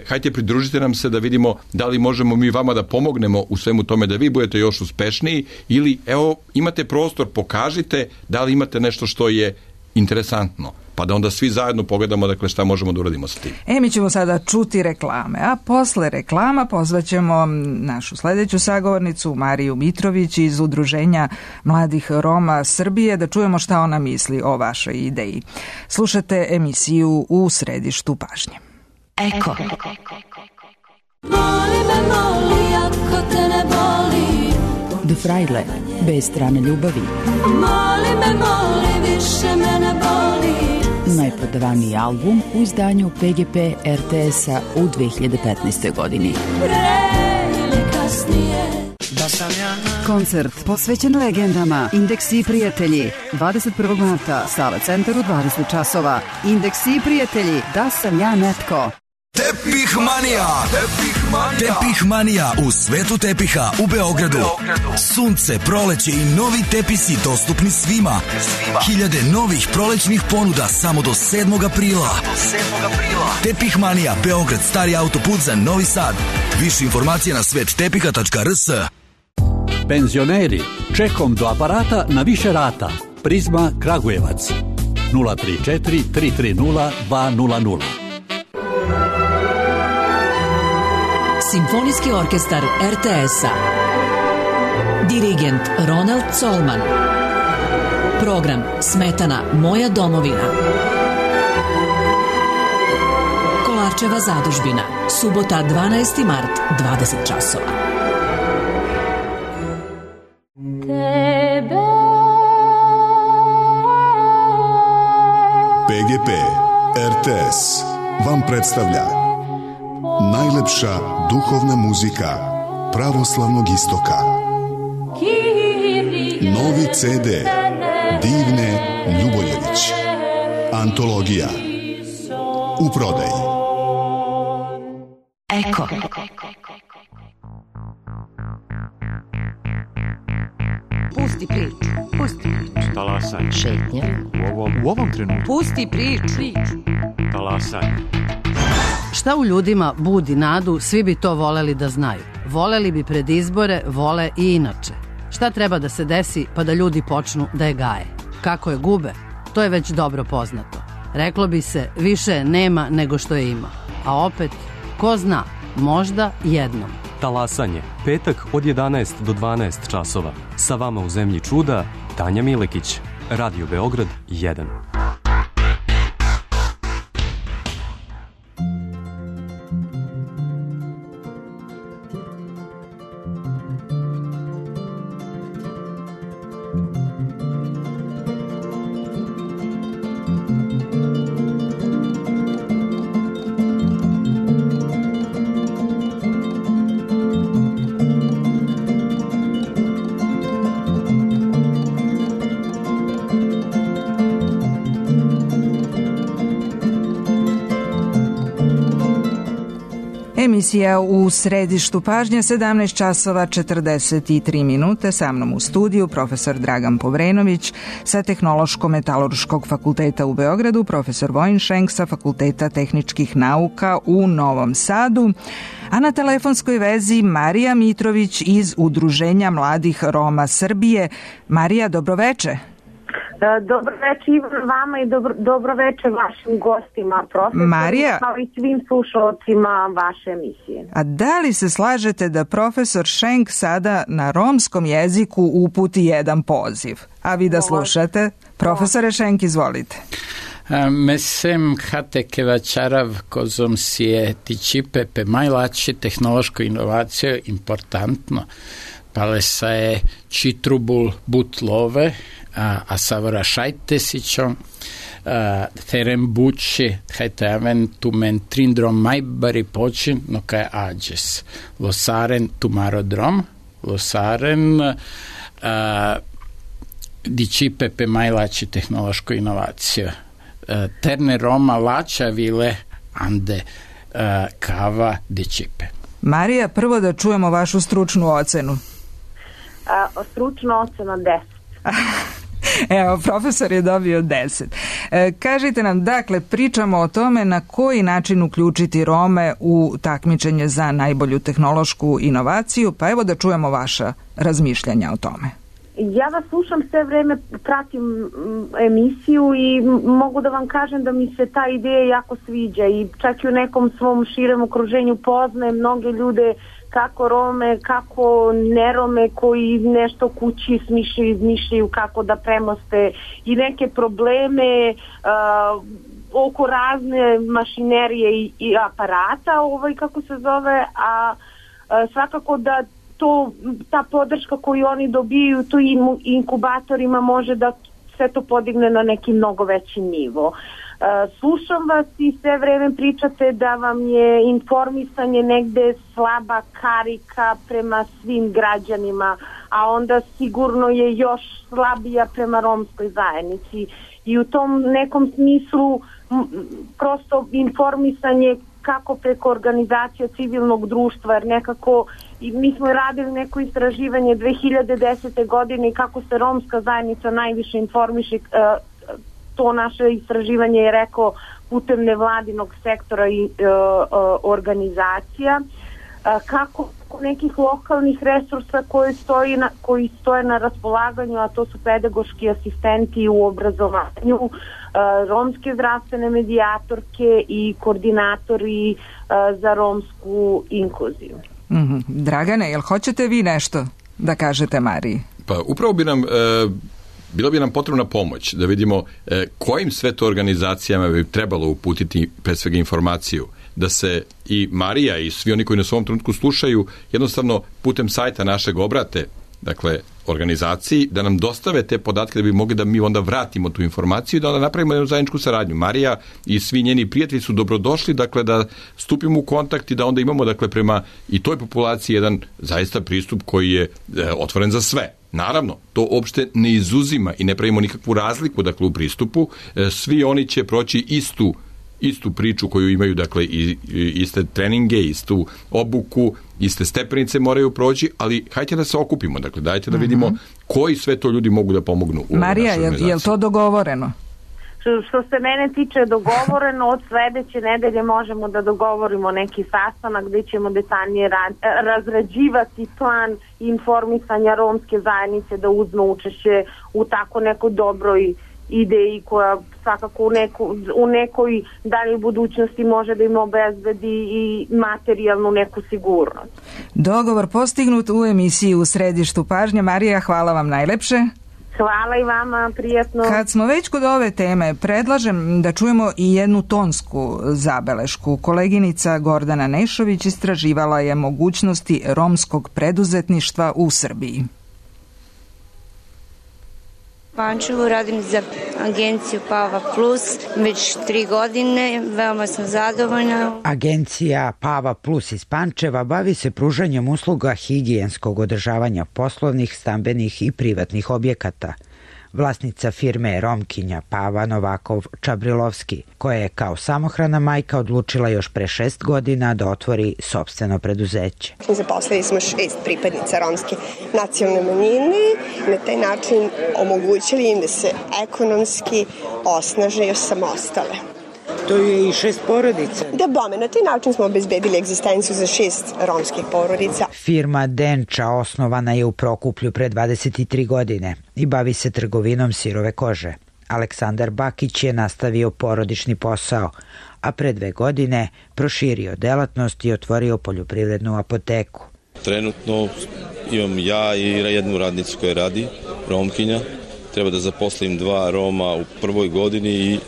hajde pridružite nam se da vidimo da li možemo mi vama da pomognemo u svemu tome da vi budete još uspešniji ili evo imate prostor, pokažite da li imate nešto što je interesantno, pa da onda svi zajedno pogledamo dakle šta možemo da uradimo sa tim. Mi ćemo sada čuti reklame, a posle reklama pozvaćemo našu sledeću sagovornicu Mariju Mitrović iz Udruženja mladih Roma Srbije da čujemo šta ona misli o vašoj ideji. Slušate emisiju U središtu pažnje. Eko. Boli me, boli, ako te ne boli. De Frajle, bez strane ljubavi. Moli me, više me ne boli. najprodavaniji album u izdanju PGP RTS-a u 2015. godini. Koncert posvećen legendama Indeksi i prijatelji 21. marta, Sala Centar u 20 časova. Indeksi i prijatelji, da sam ja netko. Tepih Manija! Tepih Manija u svetu tepiha u Beogradu. Sunce, proleće i novi tepisi dostupni svima. Hiljade novih prolećnih ponuda samo do 7. aprila. Tepih Manija, Beograd, stari autoput za Novi Sad. Više informacija na svettepiha.rs. Penzioneri, čekom do aparata na više rata. Prizma Kragujevac 034 330 200. Simfonijski orkestar RTS-a. Dirigent Ronald Colman. Program Smetana Moja domovina. Kolarčeva zadužbina. Subota 12. mart, 20 časova. PGP RTS vam predstavlja najlepša duhovna muzika pravoslavnog istoka. Novi CD Divne Ljuboljević. Antologija. U prodaji. Eko. Pusti priču. Talasanje. Šetnja. U ovom trenutku. Pusti priču. Talasanje. Šta u ljudima budi nadu, svi bi to voleli da znaju. Voleli bi pred izbore, vole i inače. Šta treba da se desi pa da ljudi počnu da je gaje? Kako je gube? To je već dobro poznato. Reklo bi se, više nema nego što je ima. A opet, ko zna, možda jednom. Talasanje, petak od 11 do 12 časova. Sa vama u Zemlji čuda, Tanja Milekić. Radio Beograd 1. Emisija u središtu pažnje, 17 časova 43 minute. Sa mnom u studiju profesor Dragan Povrenović sa Tehnološko-metalurškog fakulteta u Beogradu, profesor Vojin Šenk sa Fakulteta tehničkih nauka u Novom Sadu, a na telefonskoj vezi Marija Mitrović iz Udruženja mladih Roma Srbije. Marija, dobroveče. Dobro večer vama i dobro večer vašim gostima, profesor, Marija, kao i svim slušalcima vaše emisije. A da li se slažete da profesor Šenk sada na romskom jeziku uputi jedan poziv? A vi da slušate? Profesore Šenk, izvolite. Mesem hatekevačarav kozom sije tičipe pe majlači tehnološko inovacijo importantno. Palesa je čitrubul butlove, a savora šajtesićom, terem buči, hajte aventumen trindrom majbari počin, no kaj ađes. Losaren tumarodrom, losaren dičipe pe majlači tehnološko inovaciju. Terne Roma lača vile ande kava dičipe. Marija, prvo da čujemo vašu stručnu ocenu. Stručna ocena 10. Evo, profesor je dobio 10. Kažite nam, dakle, pričamo o tome na koji način uključiti Rome u takmičenje za najbolju tehnološku inovaciju, pa evo da čujemo vaša razmišljanja o tome. Ja vas slušam sve vreme, pratim emisiju i mogu da vam kažem da mi se ta ideja jako sviđa i čak i u nekom svom širem okruženju poznajem mnoge ljude, kako Rome, kako nerome koji nešto kući izmišljaju kako da premoste i neke probleme oko razne mašinerije i aparata, kako se zove, a svakako da ta podrška koju oni dobiju tu inkubatorima može da sve to podigne na neki mnogo veći nivo. Slušam vas i sve vreme pričate da vam je informisanje negde slaba karika prema svim građanima, a onda sigurno je još slabija prema romskoj zajednici. I u tom nekom smislu prosto informisanje kako preko organizacija civilnog društva, jer nekako mi smo radili neko istraživanje 2010. godine i kako se romska zajednica najviše informiše, to naše istraživanje je rekao putem nevladinog sektora i organizacija, kako nekih lokalnih resursa koji stoje na raspolaganju, a to su pedagoški asistenti u obrazovanju, romske zdravstvene medijatorke i koordinatori za romsku inkluziju. Dragane, jel hoćete vi nešto da kažete Mariji? Pa upravo bila bi nam potrebna pomoć da vidimo kojim sve to organizacijama bi trebalo uputiti pre svega informaciju, da se i Marija i svi oni koji nas u ovom trenutku slušaju jednostavno putem sajta našeg obrate, dakle organizaciji, da nam dostave te podatke da bi mogli da mi onda vratimo tu informaciju i da onda napravimo jednu zajedničku saradnju. Marija i svi njeni prijatelji su dobrodošli, dakle da stupimo u kontakt i da onda imamo dakle prema i toj populaciji jedan zaista pristup koji je otvoren za sve. Naravno, to uopšte ne izuzima i ne pravimo nikakvu razliku dakle u pristupu. Svi oni će proći istu priču koju imaju, dakle iste treninge, istu obuku, iste stepenice moraju proći, ali hajde da se okupimo, dakle dajte da vidimo koji sve to ljudi mogu da pomognu u Marija, je li to dogovoreno? Što se mene tiče dogovoreno, od sledeće nedelje možemo da dogovorimo neki sastanak gde ćemo detaljnije razrađivati plan informisanja romske zajednice da uzme učešće u tako nekoj dobroj ideji koja svakako u nekoj daljoj budućnosti može da im obezbedi i materijalnu neku sigurnost. Dogovor postignut u emisiji U središtu pažnje. Marija, hvala vam najlepše. Hvala i vama, prijatno. Kad smo već kod ove teme, predlažem da čujemo i jednu tonsku zabelešku. Koleginica Gordana Nešović istraživala je mogućnosti romskog preduzetništva u Srbiji. Pančevu radim za agenciju Pava Plus već 3 godine, veoma sam zadovoljna. Agencija Pava Plus iz Pančeva bavi se pružanjem usluga higijenskog održavanja poslovnih, stambenih i privatnih objekata. Vlasnica firme je Romkinja Pava Novakov Čabrilovski, koja je kao samohrana majka odlučila još pre 6 godina da otvori sopstveno preduzeće. Zaposlili smo 6 pripadnica romske nacionalne manjine, na taj način omogućili im da se ekonomski osnaže i osamostale. To je i 6 porodica. Da bome, na taj način smo obezbedili egzistenciju za 6 romskih porodica. Firma Denča osnovana je u Prokuplju pre 23 godine i bavi se trgovinom sirove kože. Aleksandar Bakić je nastavio porodični posao, a pre 2 godine proširio delatnost i otvorio poljoprivrednu apoteku. Trenutno imam ja i jednu radnicu koja radi, Romkinja. Treba da zaposlim 2 Roma u prvoj godini i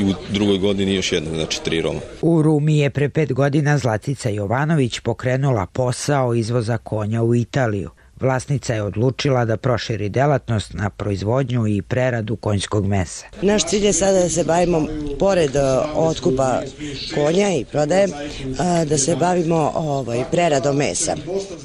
u drugoj godini još jednog, znači 3 Roma. U Rumi je pre 5 godina Zlatica Jovanović pokrenula posao izvoza konja u Italiju. Vlasnica je odlučila da proširi delatnost na proizvodnju i preradu konjskog mesa. Naš cilj je sada da se bavimo, pored otkupa konja i prodaje, da se bavimo preradom mesa.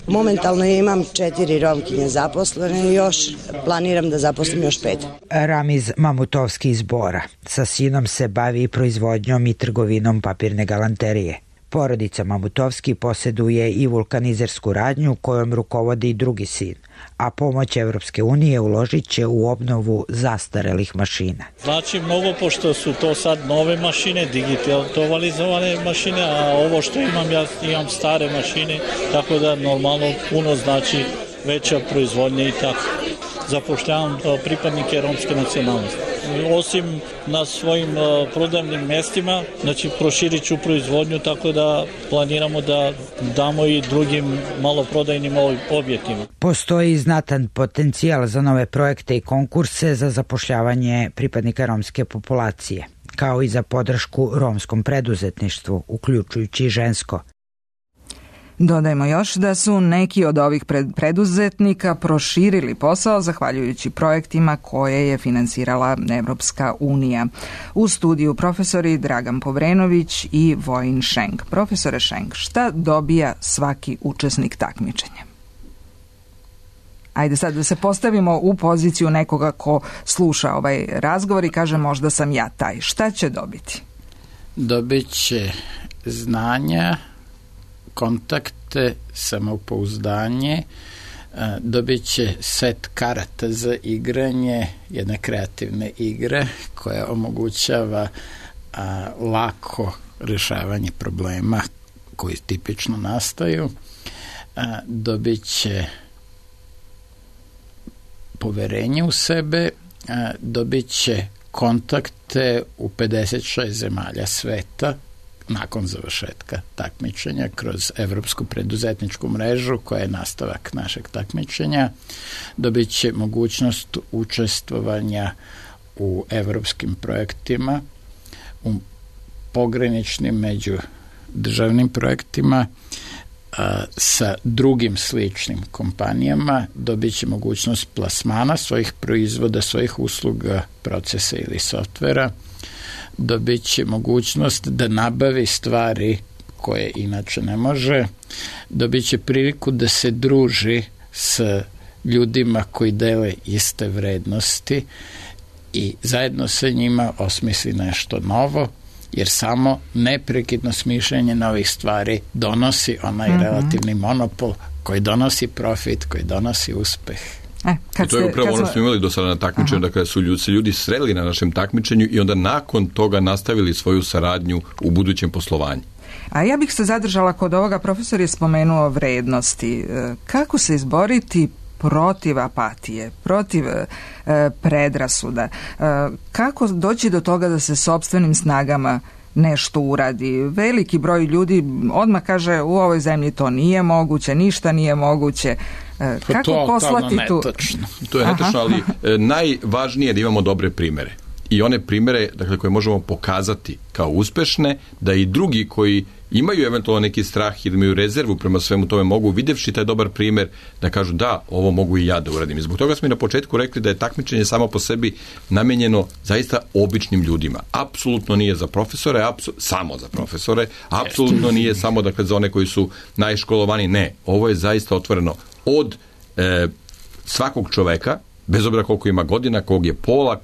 Momentalno imam 4 Romkinje zaposlene i još planiram da zaposlim još 5. Ramiz Mamutovski iz Bora sa sinom se bavi proizvodnjom i trgovinom papirne galanterije. Porodica Mamutovski posjeduje i vulkanizersku radnju kojom rukovodi drugi sin, a pomoć Evropske unije uložit će u obnovu zastarelih mašina. Znači mnogo, pošto su to sad nove mašine, digitalizovane mašine, a ovo što imam, ja imam stare mašine, tako da normalno puno znači veća proizvodnja i tako. Zapošljavam pripadnike romske nacionalnosti. Osim na svojim prodajnim mestima, znači proširit ću proizvodnju, tako da planiramo da damo i drugim maloprodajnim objektima. Postoji znatan potencijal za nove projekte i konkurse za zapošljavanje pripadnika romske populacije, kao i za podršku romskom preduzetništvu, uključujući i žensko. Dodajmo još da su neki od ovih preduzetnika proširili posao zahvaljujući projektima koje je finansirala Evropska unija. U studiju profesori Dragan Povrenović i Vojin Šenk. Profesore Šenk, šta dobija svaki učesnik takmičenja? Ajde sad da se postavimo u poziciju nekoga ko sluša ovaj razgovor i kaže možda sam ja taj. Šta će dobiti? Dobit će znanja, kontakte, samopouzdanje, dobit će set karata za igranje jedne kreativne igre koja omogućava lako rješavanje problema koji tipično nastaju. Dobit će poverenje u sebe, dobit će kontakte u 56 zemalja sveta nakon završetka takmičenja kroz Evropsku preduzetničku mrežu koja je nastavak našeg takmičenja. Dobit će mogućnost učestvovanja u evropskim projektima, u pograničnim međudržavnim projektima sa drugim sličnim kompanijama. Dobit će mogućnost plasmana svojih proizvoda, svojih usluga, procesa ili softvera. Dobit će mogućnost da nabavi stvari koje inače ne može. Dobit će priliku da se druži s ljudima koji dele iste vrednosti i zajedno sa njima osmisli nešto novo, jer samo neprekidno smišljanje novih stvari donosi onaj relativni monopol koji donosi profit, koji donosi uspeh. I to je upravo ono što smo imali do sada na takmičenju, dakle su se ljudi sreli na našem takmičenju i onda nakon toga nastavili svoju saradnju u budućem poslovanju. A ja bih se zadržala kod ovoga, profesor je spomenuo vrednosti. Kako se izboriti protiv apatije, protiv predrasuda? Kako doći do toga da se sopstvenim snagama nešto uradi? Veliki broj ljudi odmah kaže u ovoj zemlji to nije moguće, ništa nije moguće. Kako poslati tu? To je netočno, ali najvažnije je da imamo dobre primere. I one primere, dakle, koje možemo pokazati kao uspešne, da i drugi koji imaju eventualno neki strah ili imaju rezervu prema svemu tome mogu, videvši taj dobar primer, da kažu da, ovo mogu i ja da uradim. I zbog toga smo i na početku rekli da je takmičenje samo po sebi namenjeno zaista običnim ljudima. Apsolutno nije za profesore, samo za profesore, apsolutno nije samo, dakle, za one koji su najškolovani. Ne, ovo je zaista otvoreno od svakog čoveka, bez obzira koliko ima godina, kog je pola,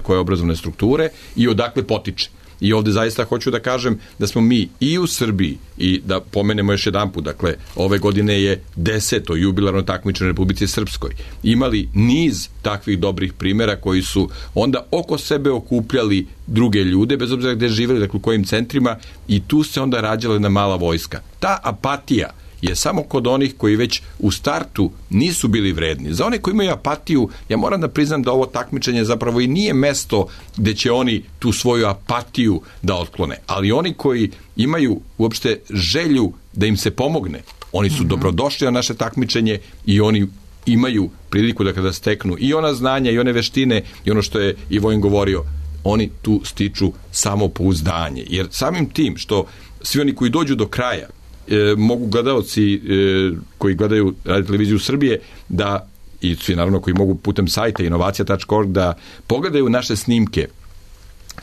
koje obrazovne strukture i odakle potiče. I ovdje zaista hoću da kažem da smo mi i u Srbiji, i da pomenemo još jedanput, dakle, ove godine je 10. jubilarno takmičenje u Republici Srpskoj. Imali niz takvih dobrih primjera koji su onda oko sebe okupljali druge ljude, bez obzira gdje živjeli, dakle, u kojim centrima, i tu se onda rađala jedna mala vojska. Ta apatija je samo kod onih koji već u startu nisu bili vredni. Za one koji imaju apatiju, ja moram da priznam da ovo takmičenje zapravo i nije mesto gdje će oni tu svoju apatiju da otklone. Ali oni koji imaju uopšte želju da im se pomogne, oni su dobrodošli na naše takmičenje i oni imaju priliku da kada steknu i ona znanja i one veštine i ono što je i Vojin govorio, oni tu stiču samopouzdanje. Jer samim tim što svi oni koji dođu do kraja, mogu gledaoci koji gledaju Radio televiziju Srbije da, i svi naravno koji mogu putem sajta inovacija.org da pogledaju naše snimke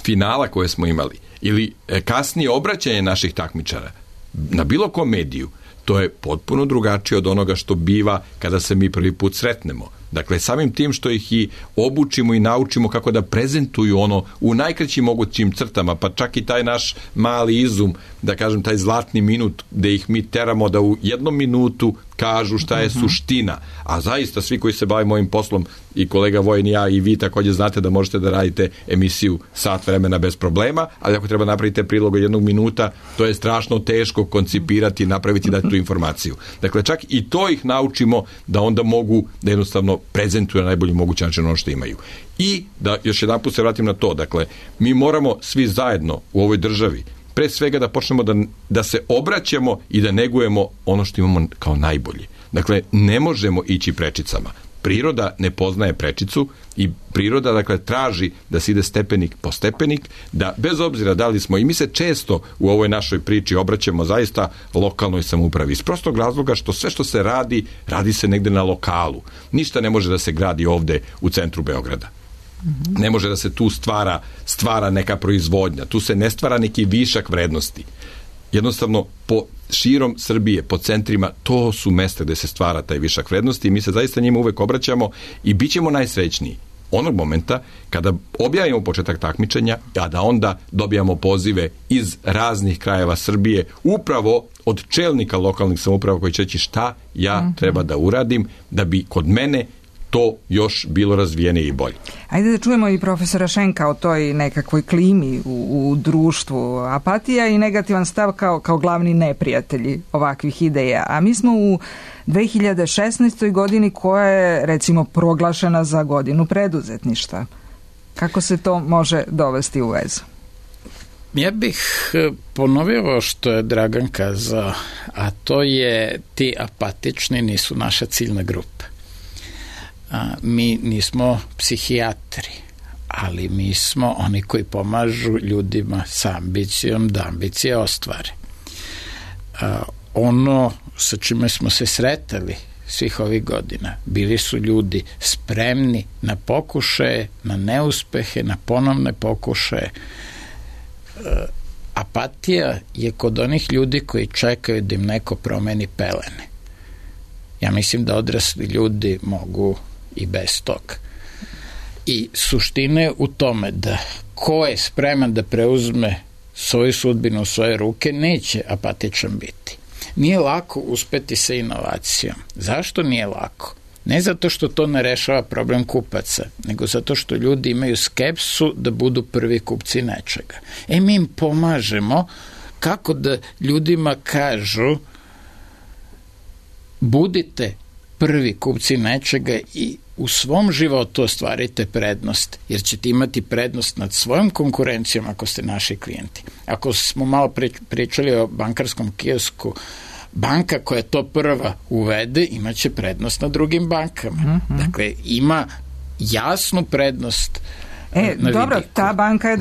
finala koje smo imali ili kasnije obraćanje naših takmičara na bilo kom mediju, to je potpuno drugačije od onoga što biva kada se mi prvi put sretnemo. Dakle, samim tim što ih i obučimo i naučimo kako da prezentuju ono u najkraćim mogućim crtama, pa čak i taj naš mali izum, da kažem, taj zlatni minut gde ih mi teramo da u jednom minutu kažu šta je suština. A zaista svi koji se bavimo ovim poslom, i kolega Vojin i ja i vi također znate da možete da radite emisiju sat vremena bez problema, ali ako treba napraviti prilog od jednog minuta, to je strašno teško koncipirati i napraviti da tu informaciju. Dakle, čak i to ih naučimo da onda mogu da jednostavno prezentuju na najbolji mogući način ono što imaju. I da još jedan put se vratim na to, dakle, mi moramo svi zajedno u ovoj državi pre svega da počnemo da se obraćamo i da negujemo ono što imamo kao najbolje. Dakle, ne možemo ići prečicama. priroda ne poznaje prečicu i priroda, dakle, traži da se ide stepenik po stepenik, da bez obzira da li smo, i mi se često u ovoj našoj priči obraćamo zaista lokalnoj samoupravi, iz prostog razloga što sve što se radi, radi se negde na lokalu. Ništa ne može da se gradi ovde u centru Beograda. Ne može da se tu stvara neka proizvodnja, tu se ne stvara neki višak vrednosti. Jednostavno, po širom Srbije, po centrima, to su mesta gde se stvara taj višak vrednosti i mi se zaista njima uvek obraćamo i bit ćemo najsrećniji onog momenta kada objavimo početak takmičenja, a da onda dobijamo pozive iz raznih krajeva Srbije, upravo od čelnika lokalnih samouprava koji će reći šta ja treba da uradim da bi kod mene to još bilo razvijenije i bolje. Ajde da čujemo i profesora Šenka o toj nekakvoj klimi u društvu. Apatija i negativan stav kao glavni neprijatelji ovakvih ideja. A mi smo u 2016. godini koja je, recimo, proglašena za godinu preduzetništva. Kako se to može dovesti u vezu? Ja bih ponovio ovo što je Dragan kazao, a to je ti apatični nisu naša ciljna grupa. Mi nismo psihijatri, ali mi smo oni koji pomažu ljudima sa ambicijom da ambicije ostvare. Ono sa čime smo se sretali svih ovih godina, bili su ljudi spremni na pokušaje, na neuspehe, na ponovne pokušaje. Apatija je kod onih ljudi koji čekaju da im neko promeni pelene. Ja mislim da odrasli ljudi mogu i bez toga. I suština je u tome da ko je spreman da preuzme svoju sudbinu u svoje ruke, neće apatičan biti. Nije lako uspeti sa inovacijom. Zašto nije lako? Ne zato što to ne rešava problem kupaca, nego zato što ljudi imaju skepsu da budu prvi kupci nečega. Mi im pomažemo kako da ljudima kažu budite prvi kupci nečega i u svom životu ostvarite prednost, jer ćete imati prednost nad svojom konkurencijom ako ste naši klijenti. Ako smo malo pričali o bankarskom kiosku, banka koja to prva uvede imaće prednost nad drugim bankama. Dakle, ima jasnu prednost. Dobro, ta banka je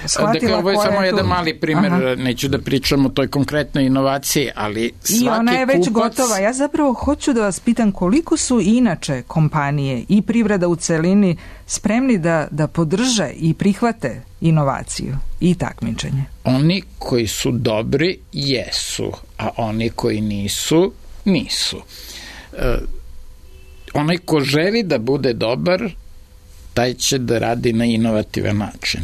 shvatila ovo je samo jedan mali primjer, neću da pričam o toj konkretnoj inovaciji, ali svaki i ona je već kupac... gotova. Ja zapravo hoću da vas pitam koliko su inače kompanije i privreda u celini spremni da podrže i prihvate inovaciju i takmičenje. Oni koji su dobri jesu, a oni koji nisu, nisu. Onaj ko želi da bude dobar, taj će da radi na inovativan način.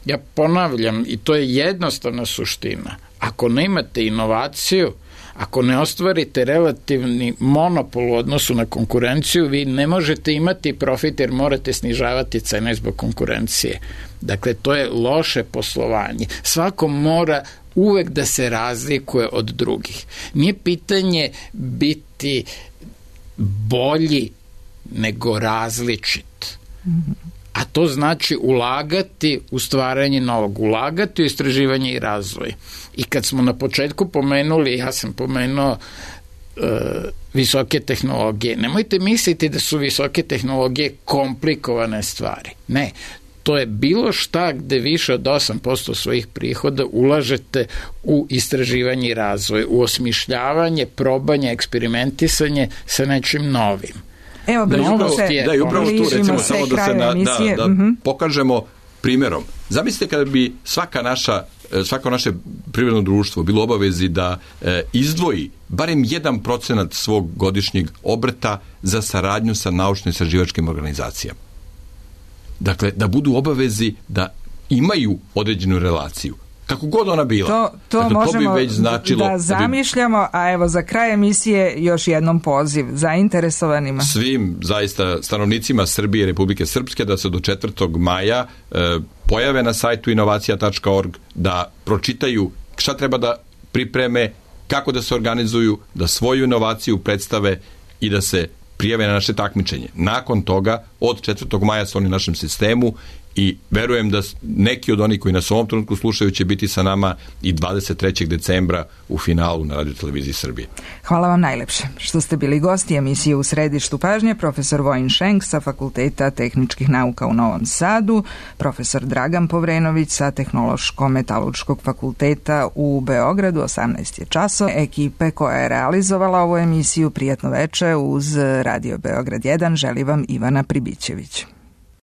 Ja ponavljam, i to je jednostavna suština, ako ne imate inovaciju, ako ne ostvarite relativni monopol u odnosu na konkurenciju, vi ne možete imati profit jer morate snižavati cene zbog konkurencije. Dakle, to je loše poslovanje. Svako mora uvek da se razlikuje od drugih. Nije pitanje biti bolji nego različit. A to znači ulagati u stvaranje novog, ulagati u istraživanje i razvoj. I kad smo na početku pomenuli, ja sam pomenuo visoke tehnologije, nemojte misliti da su visoke tehnologije komplikovane stvari. Ne, to je bilo šta gde više od 8% svojih prihoda ulažete u istraživanje i razvoj, u osmišljavanje, probanje, eksperimentisanje sa nečim novim. Evo, upravo tu, recimo, samo da se pokažemo primjerom. Zamislite kada bi svako naše privredno društvo bilo obavezi da izdvoji barem 1% svog godišnjeg obrta za saradnju sa naučno-istraživačkim organizacijama. Dakle, da budu obavezi da imaju određenu relaciju. Kako god ona bila. To možemo već da zamišljamo, a evo za kraj emisije još jednom poziv zainteresovanima. Svim zaista stanovnicima Srbije i Republike Srpske da se do 4. maja pojave na sajtu inovacija.org, da pročitaju šta treba da pripreme, kako da se organizuju, da svoju inovaciju predstave i da se prijave na naše takmičenje. Nakon toga, od 4. maja su oni u našem sistemu i verujem da neki od onih koji nas u ovom trenutku slušaju će biti sa nama i 23. decembra u finalu na Radio Televiziji Srbije. Hvala vam najlepše što ste bili gosti emisije U središtu pažnje, profesor Vojin Šenk sa Fakulteta tehničkih nauka u Novom Sadu, profesor Dragan Povrenović sa Tehnološko-metalurškog fakulteta u Beogradu, 18 je časova. Ekipe koja je realizovala ovu emisiju, prijatno veče uz Radio Beograd 1, želi vam Ivana Pribićević.